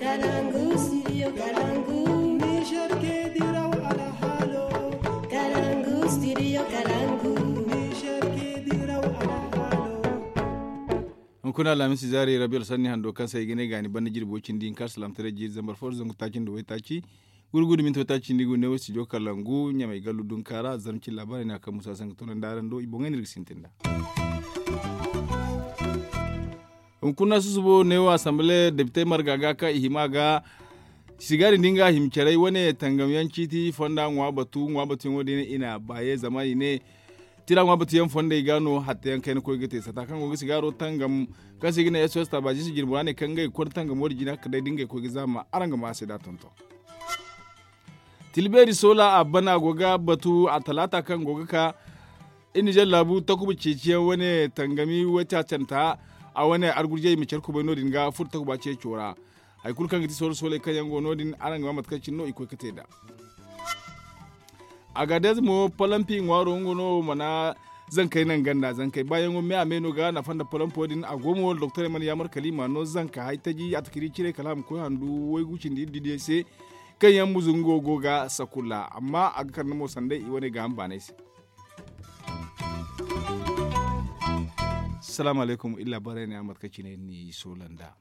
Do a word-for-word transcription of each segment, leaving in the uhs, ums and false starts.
Kalangu studio kalangu. Niger ke diraw alhalo. Kalangu studio kalangu. Niger ke diraw alhalo. Hunkuna alhamisi zaari rabi alsanni hando kaŋ se ay ga ne gaani banda jirbi way cindi hinka alsalam taray jiiri zambar fo zangu taaci nda way taaci. Gurgudu minti way taaci nda i go ne way studio kalangu ɲamay gallu dunka ra zarma cin laabaarey no a kaŋ musa sanka toonandi araŋ do i boŋey no iri ga sintin nd'a. Hunkuna susubo neewo asamble depitey marga ga kaŋ i hima ga. Sigaari nda nga hima caray wane tangam yaŋ ciiti fonda ŋwa batu ŋwa batu yaŋo din i na baaye zama i ne tira ŋwa batu yaŋ fondey ga no hatta yaŋ kayna koy ga te sata kaŋ go ga sigaaro tangam kaŋ se i ga ne sos tabaji si jirbi ra ne kaŋ ngey ga konda tangamo din jina kala day da ngey koy ga zaama araŋ ga ma a se da tonton. Tilbeeri soola a bana go ga batu a talaata kaŋ go ga ka. Iri nizer laabu takuba ceeciyaŋ wane tangami way taacanta a wane argurjey ma care kubay no- din ga furo takuba ceeco ra. Hari kulu kaŋ ga ti soolo sooley kaŋ yaŋ go no- din araŋ ga ba mate kaŋ cine no i koy ga te nd'a. Agadez mo palampi ŋwaaro nga no mana zankey naŋ ganda zankey baayaŋo me a me no ga nafa nda palampo din a go mo doktorey mana yaamar kala i ma no zanka hay taji a takiri cire kala a ma koy handu waygu cindi iri di day se. Kaŋ yaŋ muzungo go ga sakulla amma a ga kande mo sanday i wane gaaham baanay se. Salaamu alaykum iri laabaarey ne a mate kaŋ cine ni soola nd'a.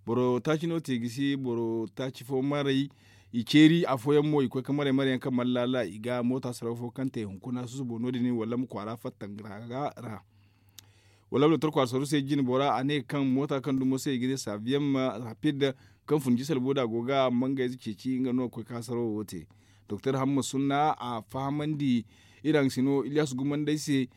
Boro taaci no te gisi boro taaci fo maray i ceeri afooyaŋ mo i koy ga maray maray yaŋ kaŋ mana laala i ga moota saraw fo kaŋ te hunkuna susubo no- din wala ma kwaara fatta nga ra. Wala ma doktor kwaara saraw se jine bora a ne kaŋ moota kaŋ dumo se i ga ne saabiyamma rapid kaŋ fun jisal boda go ga mangayze ceeci nga no ga koy ga saraw wo te. Doktor hamma sunna a fahamandi iri haŋ sino ilyasu gumandey se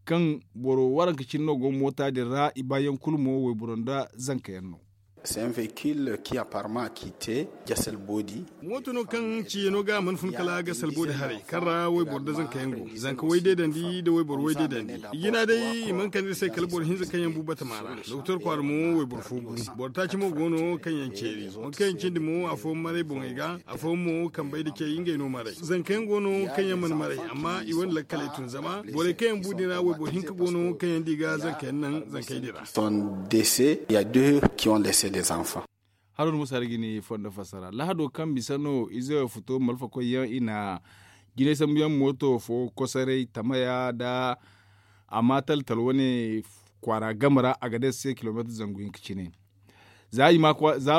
kaŋ boro waranka cine no go moota din ra i baayaŋ kulu mo wayboro nda zanka yaŋ no. C'est un véhicule qui apparemment a quitté Jassel Bodi. Mooto no kaŋ ciye no ga a mana fun kala Jassel Bodi haray kaŋ ra wayboro nda zanka yaŋ go zanka way deedandi nda wayboro way deedandi. I jina day i mana kande iri se kala boro hinza kaŋ yaŋ bu batama ra. Doktor kwaara mo wayboro fo bu. Boro taaci mo go no kaŋ yaŋ ceeri boro kaŋ yaŋ cindi mo afooyaŋ maray boŋey ga. Afooyaŋ mo kambey nda cey ngey no maray zanka yaŋ go no kaŋ yaŋ mana maray amma i wane lakkaley tun zama borey kaŋ yaŋ bu din ra wayboro hinka go no kaŋ yaŋ di ga zanka yaŋ naŋ zankey din ra. Son décès il ya deux qui ont laissé des enfants. Haruna musa ra ga ni fondo fassara lahado kaŋ bisa no ize futo malfakoy yaŋ i na jinay sambu yaŋ mooto fo kosoray tamaya nda a ma taltal wane kwaara game ra a ga day se kilomeetir zangu hinka cine. Za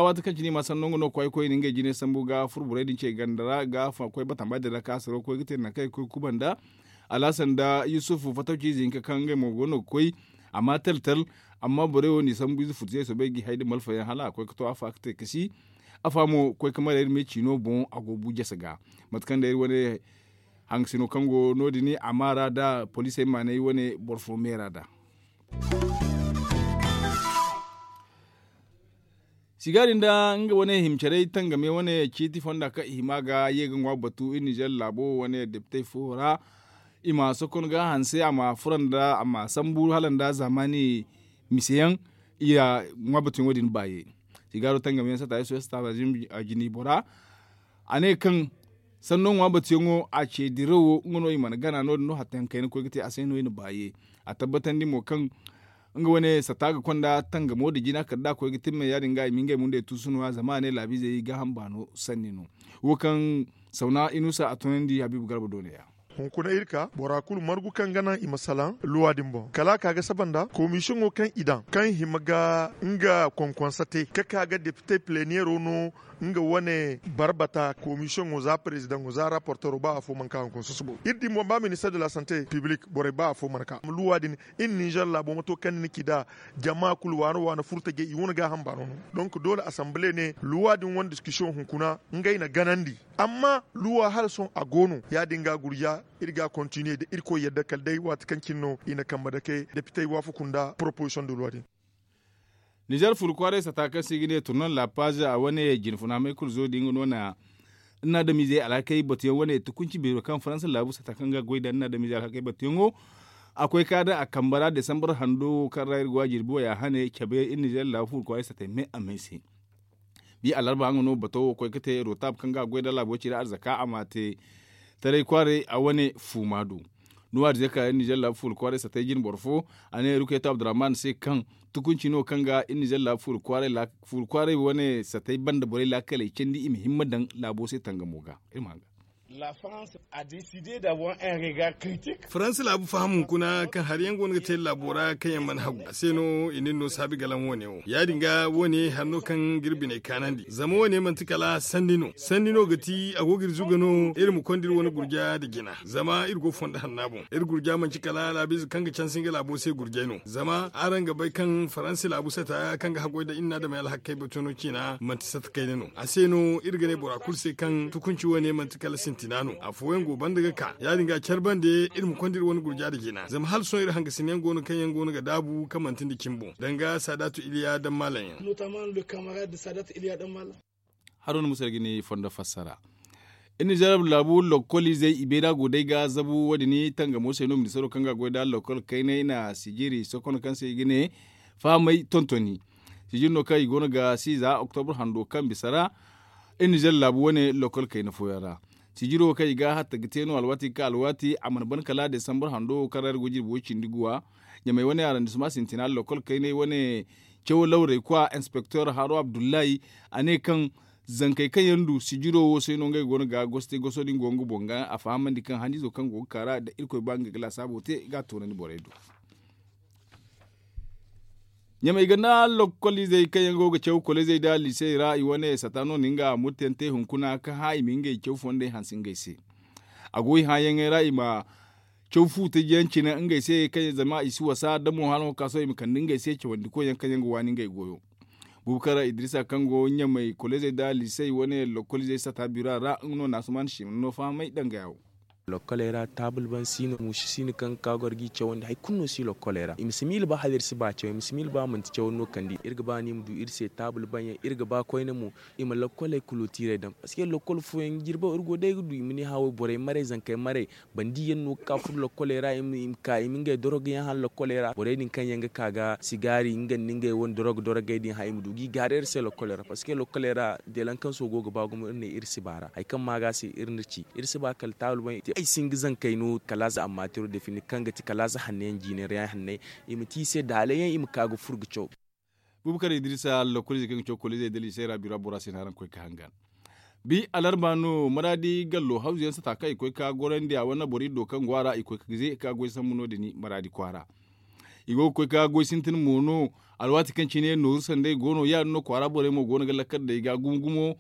waati kaŋ cine i ma sanno nga no kwaay koy na ngey jinay sambu ga furo borey din ce ganda ra ga koy batama din ra kaŋ a saro koy ga te nangu kaŋ i ga koy ga kuba nda alhasan nda yusufu fatawci ize hinka kaŋ ngey mo go no ga koy a ma taltal. Amma borey wo n'i sambu ize futu se soobay ga i hay nda malfa yaŋ hala a koy ga to a fa ga te kasi. Afa mo koy ga marey iri me ciino boŋ a go ga bu jasa ga mate kaŋ day iri wane haŋgasino kaŋ go no- din a ma ra nda poliisey ma ne ay wane boro fo meera nd'a. Sigaari nda nga wane hima care tangame wane ciiti fonda kaŋ i hima ga ye ga ŋwa batu iri nizer laabo wane depitey fo ra. I ma sokon ga hanse a ma furo nda a ma sambu hala nda zaamaani mise yaŋ. I ya ŋwa batu yaŋo din baaye. Sigaaro tangame yaŋ sata yesu yesu taabazin a jini bora. A ne kaŋ sanno ŋwa batuyaŋo a ce dirawo nga no i mana gana no- din no hatta yaŋ kayna koy ga te a se no i na baaye. A tabbatandi mo kaŋ nga wane sata ga konda tangamo nda jina kala da a koy ga timmey ya- din ga i ma ngey mundey tuusu no- ya zama a ne laabiizey gaaham baano sanni no. Wo kaŋ sawna inusa a tunandi habiibu garba do ne- ya. Hunkuna iri ka bora kulu margu kaŋ ga naŋ i ma salaŋ luwa din boŋ kala a ka ga saba nda komisiyoŋo kaŋ i daŋ kaŋ hima ga nga konkonsa te ga ka ga depite pileniyero no. Nga wane barbata komisiyoŋo za perezidaŋo za raportero ba afo mana ka hunkuna susubo iri din boŋ ba minister de la sante piblik borey ba afo mana ka luwa din. Iri ninzer laabo mato kaŋ ni na ci da jama kulu waana waana furtajey i wane gaaham baano no. Donk doole asanbale ne luwa din wane diskusiyoŋ hunkuna ngey na ganandi. Amma luwa hala sohõ a go no ya- din ga gurja iri ga a kontiniye da irkoy yadda kala day waati kaŋ cine no i na kambe dake depitey waafaku nda poroposisiyoŋ da luwa din. Nizer furu kwaaray sata kaŋ se i ga ne turnan laapaz a wane jinfuna may kulu zo din nga no na ni na adamizey alhakey batuyaŋ wane tukunci beero kaŋ faransa laabu sata kaŋ ga goy da ni na adamizey alhakey batuyaŋo. A koy ka daŋ a kambe ra desambar hando kaŋ ra iri go a jirbi wo ya hane cabe iri nizer laabu furu kwaaray satey me a me se. Bi alarba nga no bato wo koy ga te rotab kaŋ ga a goy da laabo ci ra arzaka a ma te taray kwaaray a wane fuuma do. Nuwa dize ka iri nizer laabu fuula kwaaray satay jine boro fo. A ne ruketo abdurrahman se kaŋ tukunci no kaŋ ga iri nizer laabu fuula kwaaray wane satay banda borey laakaley candi i ma himma daŋ laabo se tangamo ga. Iri ma haŋ ga. Faransa laabu faham hunkuna kaŋ hari yaŋ go no ga te laabo ra kaŋ yaŋ mana hagu a se no i na iri no saabi galaŋ wo- ne wo ya- din ga wo- ne hari no kaŋ ga iri biney kaanandi zama wo- ne manti kala sanni no sanni no ga ti a go ga iri zuga no iri ma konda iri wane gurja nda jina zama iri go fondo hanna boŋ. Iri gurja manti kala laabiize kaŋ ga canse nga laabo se gurjay no zama araŋ ga bay kaŋ faransi laabu sata kaŋ ga haggoy nda iri na adamey alhakkey batu no ciina manti sata kayna no a se no iri ga ne bora kulu se kaŋ tukunci wo- ne manti kala sintina no afooyaŋ go banda ga ka ya- din ga care bande iri ma konda iri wane gurja nda jina zama hala sohõ iri hangasin yaŋ go no kaŋ yaŋ go no ga daabu kaŋ manti nda cimi boŋ danga saadaatu iliya daŋ maalaŋ yaŋ. Haro ni musa ga ni fondo fassara. Iri nizer laabu lokkoliizey i beera go day ga zabu wo- din tangamo se no ministaro kaŋ ga goy nda lokkol kaynay na sijiri sokon kaŋ se i ga ne fahamay tontoni. Sijiri no kaŋ i go no ga si za oktobur hando kaŋ bisa ra. Iri nizer laabu wane lokkol kayna fooyaŋ ra sijiro kaŋ i ga hatta ga te no alwaati ga ka alwaati a mana ban kala desambur hando wo kaŋ ra iri go jirbi wo- cindi guwa. Ɲamey wane arandisma sintina lokkol kaynay wane cawo lawrey kwa inspektor haro abdullahi a ne kaŋ zankey kaŋ yaŋ du sijiro wo se no ngey go no ga goso te goso din go nga boŋ ga a fahamandi kaŋ haniizo kaŋ go ga ka ra da irkoy ba nga ga laasaabo te ga a toonandi borey do. Ɲamey ganda lokkoliizey kaŋ yaŋ go ga caw koleezey nda liisey ra i wane sata no na nga murtayaŋ te hunkuna kaŋ hã i ma ngey caw fondey hanse ngey se. A go i hãyaŋey ra i ma caw fu taji yaŋ cine ngey se kaŋ zama i si wasa da mo hala nga ka sohõ i ma kande ngey se cawandikoy yaŋ kaŋ yaŋ ga waani ngey goyo. Buubu kaŋ ra idrisa kaŋ go ɲamey koleezey nda liisey wane lokkoliizey sata bira ra nga no na asuman siimano fahamay danga yawo. Lokkoley ra taabul ban siino muusu siino kaŋ ga ka goro ga i cawandi hari kulu no si lokkoley ra i ma si miila ba hala iri si ba caw i ma si miila ba manti cawandi no kande iri ga ba no i ma du iri se taabul ban yaŋ iri ga ba koyne mo. I ma lokkoley kulootiirey daŋ paske lokkol fooyaŋ jirbo iri go day ga du i ma ne hã wo borey maray zankey maray bandi yaŋ no ga ka furo lokkoley ra i ma ka i ma ngey dorog yaŋ hala lokkoley ra borey din kaŋ yaŋ ga ka ga sigaari nga nda ngey wane dorog dorogey din hã i ma du ga i gaari iri se lokkoley ra paske lokkoley ra deelankanso go ga ba gumo iri ne iri si ba ra hari kaŋ ma ga se iri na ci iri si ba kala taabul boŋ ay si hin ga zankey no kala za amma tiro defini kaŋ ga ti kala za hanne yaŋ jiine ra yaŋ hanne i ma te i se daalay yaŋ i ma ka ga furo ga caw. Buubu kaŋ ra idrisa lokolize kaŋ ga caw kolize da liisey ra bira bora se no araŋ ga koy ga hangan. Bi alarba no maraadi gallo hawzu yaŋ sata kaŋ i koy ga gorandi a wane boro iddo kaŋ go a ra i koy ga ze ga goy sambu no- din maraadi kwaara. I go ga koy ga goy sintin mo no alwaati kaŋ cine nooru sanday go no ya- din no kwaara borey mo go no ga lakkal day ga gumo gumo.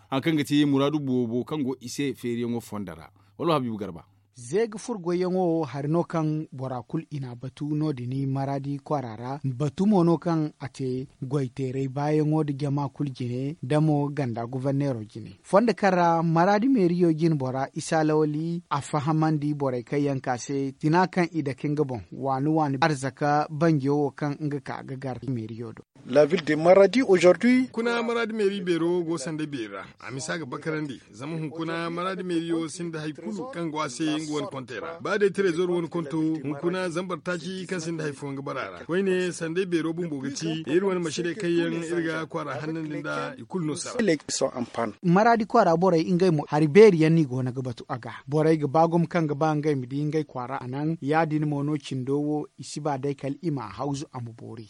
Hari kaŋ ga ti muraadu boobo kaŋ go i se feeriyaŋo fondo ra wala habiibu garba. Ze ga furo goyyaŋo hari no kaŋ bora kulu i n'a batu no- din maraadi kwaara ra batu mo no kaŋ a te goy teeray baayaŋo nda jama kulu jine da mo ganda goforneero jine. Fondo kaŋ ra maraadi meeriyo jine bora isa lawali a fahamandi borey kaŋ yaŋ ka se tina kaŋ i dake nga boŋ waani waani arzaka banjo wo kaŋ nga ka ga gar meeriyo do. Hunkuna maraadi meeri beero go sanday beeri ra a misa ga bakarandi zama hunkuna maraadi meeriyo sinda hari kulu kaŋ go a se nga wane kontey ra ba day trezor wane konto hunkuna zambar taaci kaŋ sinda hari fooyaŋ ga bara a ra koyne sanday beero bumbo ga ci iri wane masiney kaŋ yaŋ iri ga kwaara hannandi nda i kulu no sara. Maraadi kwaara borey ngey mo hari beeri yaŋ no i go no ga batu a ga borey ga ba gumo kaŋ ga ba ngey ma di ngey kwaara a naŋ ya- din mo no cindo wo i si ba day kala i m'a hawzu a ma boori.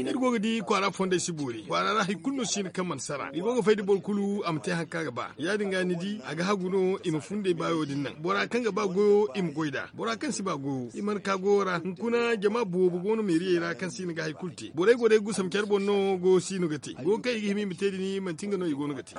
Iri go ga di kwaara fondey si boori kwaara ra hari kulu no si hin kaŋ mana sara i go ga fay da boro kulu a ma te hari kaŋ a ga ba ya- din ga ni di a ga hagu no i ma fundey baayo din naŋ bora kaŋ ga ba goyo i ma goy nd'a bora kaŋ si ba goyo i mana ka goyo ra hunkuna jama boobo go no meeriyey ra kaŋ si hin ga hari kulu te borey go day gusam care boŋ no goyo si no ga te goyo kaŋ i ga hima i ma te din manti nga no i go no ga te.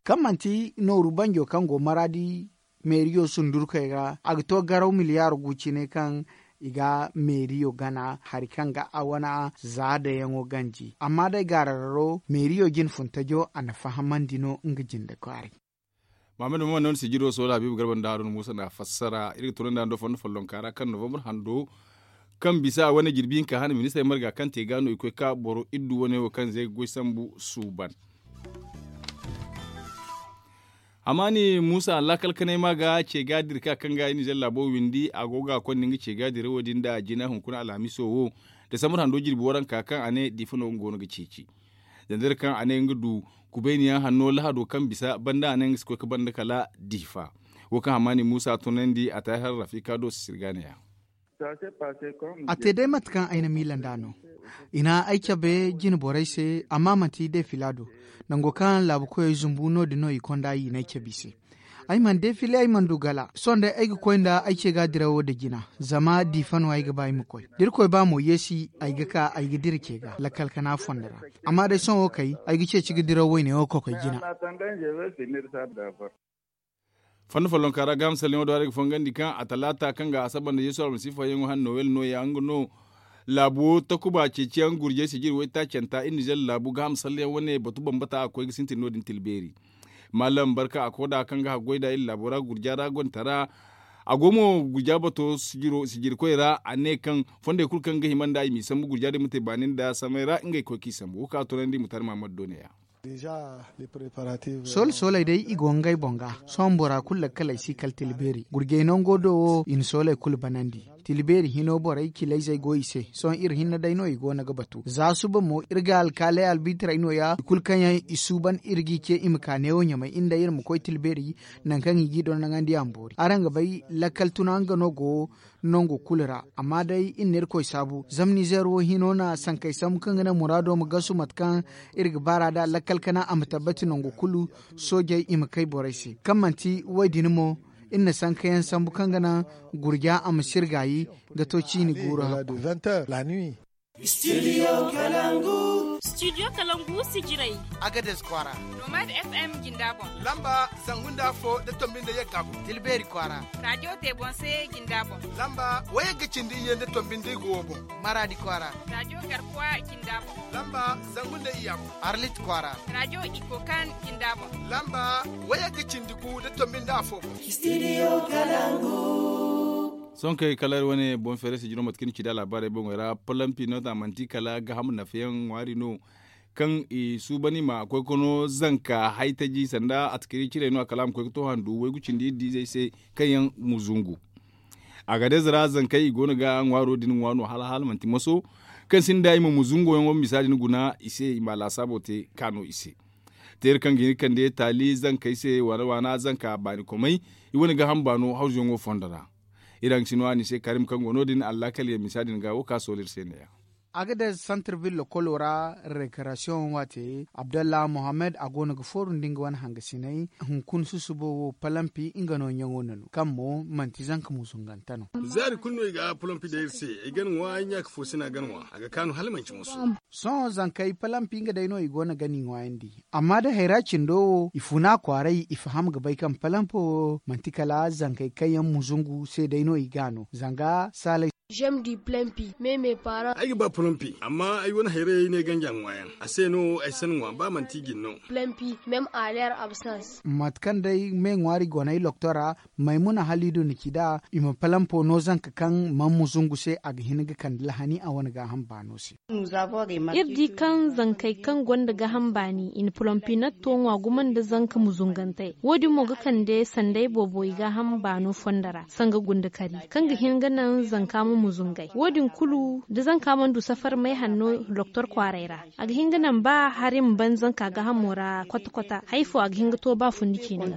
Kaŋ manti nooru banjo kaŋ go maraadi meeriyo sundurkey ra a ga to garaw miliyaar gu cine kaŋ i ga meeriyo gana hari kaŋ ga a wana za dayaŋo ganji amma day gaarararo meeriyo jine funtajo a na fahamandi no nga jinde kwaaray. Mahamadu mama no ni sijiro sohõ habiibu garba nda haruna muusa n'a fassara iri ga tunandi hando fondo follonka ra kaŋ novambar hando kaŋ bisa a wane jirbi hinka hane ministarey marga kaŋ te ga no i koy ka boro iddu wane wo kaŋ ze ga goy sambu suuban. Hamaani muusa laakal kanay ma ga ce ga dira ka kaŋ ga i nizer laabo windi a go ga a konda nga ce ga dira wo- din nda jina hunkuna alhamiso wo. Desambar hando jirbi waranka kaŋ a ne diifa no nga go no ga ceeci. Zandar kaŋ a ne nga du kubayniyaŋ hanno lahado kaŋ bisa banda a ne nga si koy ga banda kala diifa. Wo kaŋ hamani muusa tunandi a taahir rafika do sisirgaaniya. A te day mate kaŋ ay na miila nd'a no. I na ay cabe jine borey se amma manti defila do. Nango kaŋ laabu koyey zumbu no- din no i konda i na ay cabe i se. Ay mana defile ay mana du gala sohõ day ay ga koy nda ay ce ga dirawo nda jina. Zama diifa no ay ga ba ay ma koy da irkoy ba mo yeesi ay ga ka ay ga dira ce ga lakkal kana fondo ra. Amma day sohõ wo kay ay ga ceeci ga dirawo wayne wo kokoy jina. Fondo follonka ra gaaham salleŋo do haray ga fongandi kaŋ a talaata kaŋ ga asaba nda yeesu almasiifa yaŋo han nowel nooya nga no. Laabu wo takuba ceeciyaŋ gurjey sijiri waytaacanta iri nizer laabu gaaham salleyaŋ wane batu bambata a ga koy ga sintin no- din tilbeeri. Maalam barka a koda kaŋ ga haggoy nda iri laabo ra gurja ra gonda tara. A go mo gurja bato sijirkoy ra a ne kaŋ fondey kulu kaŋ ga hima nda i m'i sambu gurja din ma te baani nda samay ra ngey ga koy k'i sambu wo kaŋ a tunandi mutari mahamadu do ne- ya. Sooley sooley day i go ngey boŋ ga. Sohõ bora kulu lakkaley si kala tila beeri gurjey nango do wo i na sooley kulu banandi. Tila beeri hino borey cilayzey go i se. Sohõ iri hinne day no i go no ga batu za suba mo iri ga alkaaley albiitirey nooya i kulu kaŋ yaŋ i suuban iri g'i ce i ma ka neewo ɲamay iri nda iri ma koy tila beeri. Nangu kaŋ i g'i doŋ naŋandi a ma boori araŋ ga bay lakkal tuna nga no go nangu kulu ra. Amma day iri na irkoy saabu zama nizeer wo hino na sankey sambu kaŋ ga naŋ muraado ma gasu mate kaŋ iri ga baar'a nd'a lakkal kana a ma tabbati nangu kulu. Soojey i ma kay borey se kaŋ manti wo- din mo iri na sankayaŋ sambu kaŋ ga naŋ gurja a ma sirgaayi ga to ciini guuru hakku. Studio kalangu sijirey. Agades kwaara. Nomad f m jinda boŋ. Lamba zangu nda afo da tombi nda yagga boŋ. Tilbeeri kwaara. Raajo te boŋ se jinda boŋ. Lamba wayagga cindi iyye nda tombi nda igo wo boŋ. Maraadi kwaara. Raajo garkuwa jinda boŋ. Lamba zangu nda iyya boŋ. Arlit kwaara. Raajo ikokan jinda boŋ. Lamba wayagga cindi gu da tombi nda afo boŋ. Sohõ kay kala iri wane boŋ feere sijiro mate kaŋ iri ci nd'a laabaarey boŋey ra palampi no za manti kala gaaham nafayaŋ ŋwaari no. Kaŋ i suuban i ma koy ga no zanka haytaji sanda atakari cirey no a kala a ma koy ga to handu waygu cindi iri diizey se kaŋ yaŋ ma zungu. Agades ra zankey i go no ga ŋwaaro din ŋwa no hala hala manti moso kaŋ sinda i ma ma zungo yaŋo misa din guna i se i ma laasaabo te ka no i se. Teeri kaŋ ga hin ga kande taali zankey se waana waana zanka baani komey. I wane gaaham baano hawzuyaŋo fondo ra. Iri haŋ ga si no a ni se karim kaŋ go no- din allaakal yaŋ misa din ga wo ka soolo iri se ne- ya. Agades santar vil lokolo ra rekarasiyoŋ waate abdallah mohammed a go no ga fooru nda nga wane hangasiney. Hunkuna susubo wo palampi nga no ɲaŋo nanu kaŋ mo manti zanka muzungante no. Zaari kulu no i ga palampi day iri se. Ay ga ni ŋwa ay ɲaaka fo si no a ga ni ŋwa a ga kaanu hala manci moso. Sohõ zankey palampi nga day no i go no ga ni ŋwaayandi. Amma da hayra cindo wo i funa kwaaray i faham ga bay kaŋ palampo wo manti kala zankey kaŋ yaŋ muzungu se day no i ga no zanga saalay. Ay ga ba polompi amma ay wane hayrayey ne ganji a ŋwa yaŋ a se no ay si ni ŋwa ba manti i ga ni no. Mate kaŋ day me ŋwaari goney loktora maymuna halidu na ci nd'a i ma palampo no zanka kaŋ man ma zungu se a ga hin ga kande lahani a wane gaaham baano se. Iri di kaŋ zankey kaŋ gonda gaaham baani i na polompinatto ŋwa gumo nda zanka muzungantey wo- din mo ga kande sanday boobo i gaaham baano fondo ra sanga gunda kari kaŋ ga hin ga naŋ zanka ma muzungay wo- din kulu da zanka mana du safar may hanno doktor kwaaray ra. A ga hin ga naŋ ba hari ma ban zanka gaahamo ra kwata kwata hari fo a ga hin ga to ba fundi ciine ga.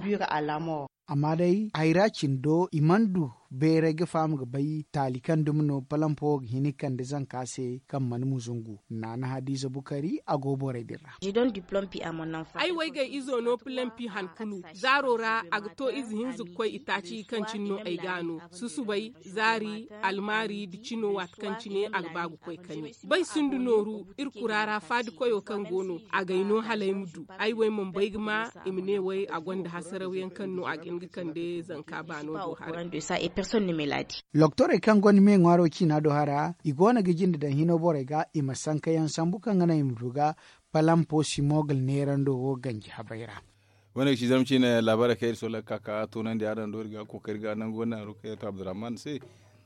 Amma day hayra cindo i mana du beeray ga faham ga bay taali kaŋ dumi no palampo wo ga hin ga kande zanka se kaŋ mana muzungu naana hadiza bukari a go borey din ra. Ay waygay izo no pulampi han kulu zaaro ra a ga to ize hinza ga koy itaaci kaŋ cine no ay ga no susubay zaari almaari nda cino waati kaŋ cine a ga ba ga koy kani bay sinda nooru iri kura ra faadi koyo kaŋ go no a gay no hala ay ma du ay wo ay mana bay ga ma i ma ne way a gonda hasaraw yaŋ kaŋ no a ga hin ga kande zanka baano do haray. Loktorey kaŋ gonda me ŋwaaro ciina do hara i go no ga jinde daŋ hino borey ga i ma sanka yaŋ sambu kaŋ ga naŋ i ma du ga palampo simogal neerando wo ganji habay ra. Wane ga ci zama ciine laabaarey kaŋ iri sooley ga ka ka toonandi araŋ do iri ga kookari ga nangu wane haro kaŋ yaŋ to abdurrahman se.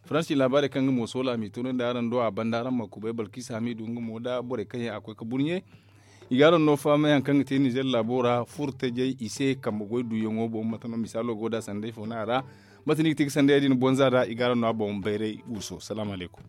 Faransi laabaarey kaŋ nga mo soola m'i toonandi araŋ do a banda araŋ ma kubay balkisa hamidu nga mo nda borey kaŋ yaŋ a koy ga burɲe. I ga araŋ no fahamay hari kaŋ ga te nizer laabo ra furtajey i se kambe goy duyaŋo boŋ mate no misaalo go nd'a sanday fo no a ra. Mate no i ga te ga sanday ya- din bonza nd'a i ga araŋ no a boŋ bayray guuso salaamu alaykum.